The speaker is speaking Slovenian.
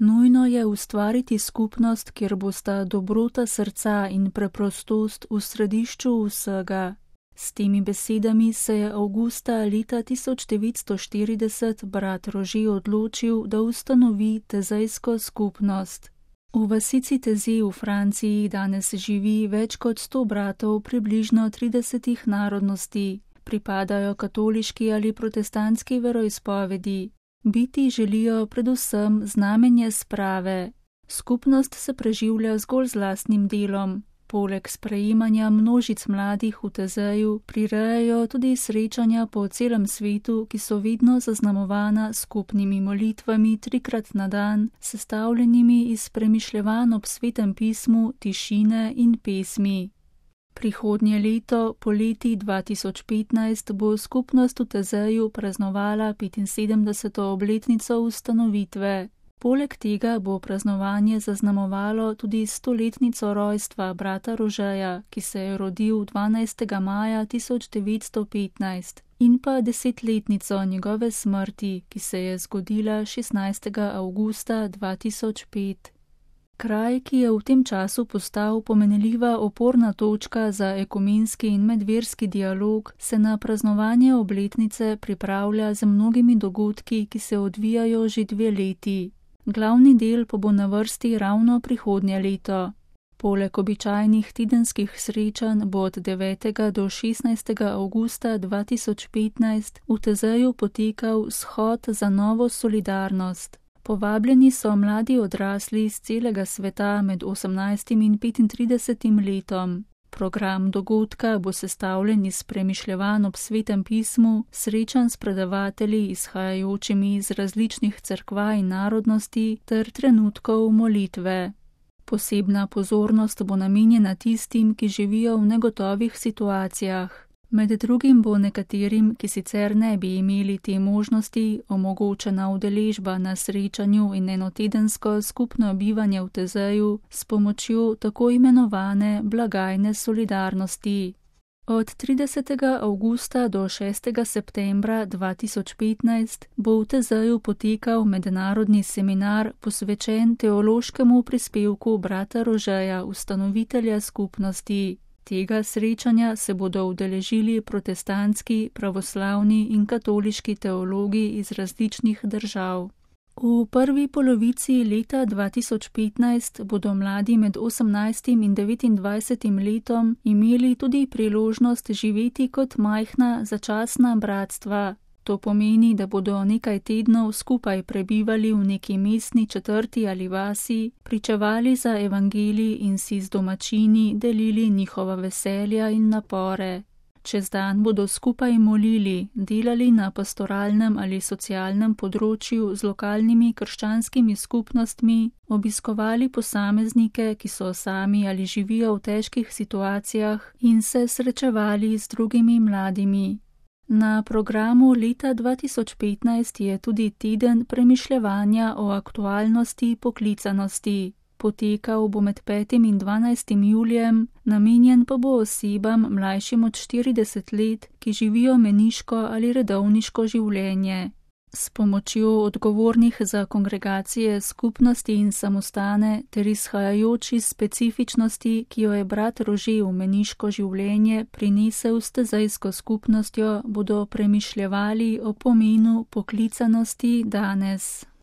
Nujno je ustvariti skupnost, kjer bosta dobrota srca in preprostost v središču vsega. S temi besedami se je avgusta leta 1940 brat Rože odločil, da ustanovi tezejsko skupnost. V vasici Teze v Franciji danes živi več kot 100 bratov približno 30 narodnosti, pripadajo katoliški ali protestantski veroizpovedi. Biti želijo predvsem znamenje sprave. Skupnost se preživlja zgolj z lastnim delom. Poleg sprejemanja množic mladih v Tezeju prirejajo tudi srečanja po celem svetu, ki so vedno zaznamovana skupnimi molitvami 3krat na dan, sestavljenimi iz premišljevanj ob svetem pismu, tišine in pesmi. Prihodnje leto, poleti 2015, bo skupnost v Tezeju praznovala 75. obletnico ustanovitve. Poleg tega bo praznovanje zaznamovalo tudi 100-letnico rojstva brata Rožeja, ki se je rodil 12. maja 1915, in pa 10-letnico njegove smrti, ki se je zgodila 16. avgusta 2005. Kraj, ki je v tem času postal pomenljiva oporna točka za ekumenski in medverski dialog, se na praznovanje obletnice pripravlja z mnogimi dogodki, ki se odvijajo že 2 leti. Glavni del pa bo na vrsti ravno prihodnje leto. Poleg običajnih tedenskih srečanj bo od 9. do 16. avgusta 2015 v Tezeju potekal shod za novo solidarnost. Povabljeni so mladi odrasli z celega sveta med 18. in 35. letom. Program dogodka bo sestavljen iz premišljevanj ob svetem pismu, srečanj s predavatelji izhajajočimi iz različnih cerkva in narodnosti ter trenutkov molitve. Posebna pozornost bo namenjena tistim, ki živijo v negotovih situacijah. Med drugim bo nekaterim, ki sicer ne bi imeli te možnosti, omogočena udeležba na srečanju in enotedensko skupno bivanje v Tezeju s pomočjo tako imenovane blagajne solidarnosti. Od 30. avgusta do 6. septembra 2015 bo v Tezeju potekal mednarodni seminar posvečen teološkemu prispevku brata Rožeja, ustanovitelja skupnosti. Tega srečanja se bodo udeležili protestantski, pravoslavni in katoliški teologi iz različnih držav. V prvi polovici leta 2015 bodo mladi med 18. in 29. letom imeli tudi priložnost živeti kot majhna začasna bratstva. To pomeni, da bodo nekaj tednov skupaj prebivali v neki mestni četrti ali vasi, pričevali za evangelij in si z domačini delili njihova veselja in napore. Čez dan bodo skupaj molili, delali na pastoralnem ali socialnem področju z lokalnimi krščanskimi skupnostmi, obiskovali posameznike, ki so sami ali živijo v težkih situacijah, in se srečevali z drugimi mladimi. Na programu leta 2015 je tudi teden premišljevanja o aktualnosti poklicanosti. Potekal bo med 5. in 12. julijem, namenjen pa bo osebam mlajšim od 40 let, ki živijo meniško ali redovniško življenje. S pomočjo odgovornih za kongregacije, skupnosti in samostane ter izhajajoč iz specifičnosti, ki jo je brat Rože v meniško življenje prinesel s tezejsko skupnostjo, bodo premišljevali o pomenu poklicanosti danes.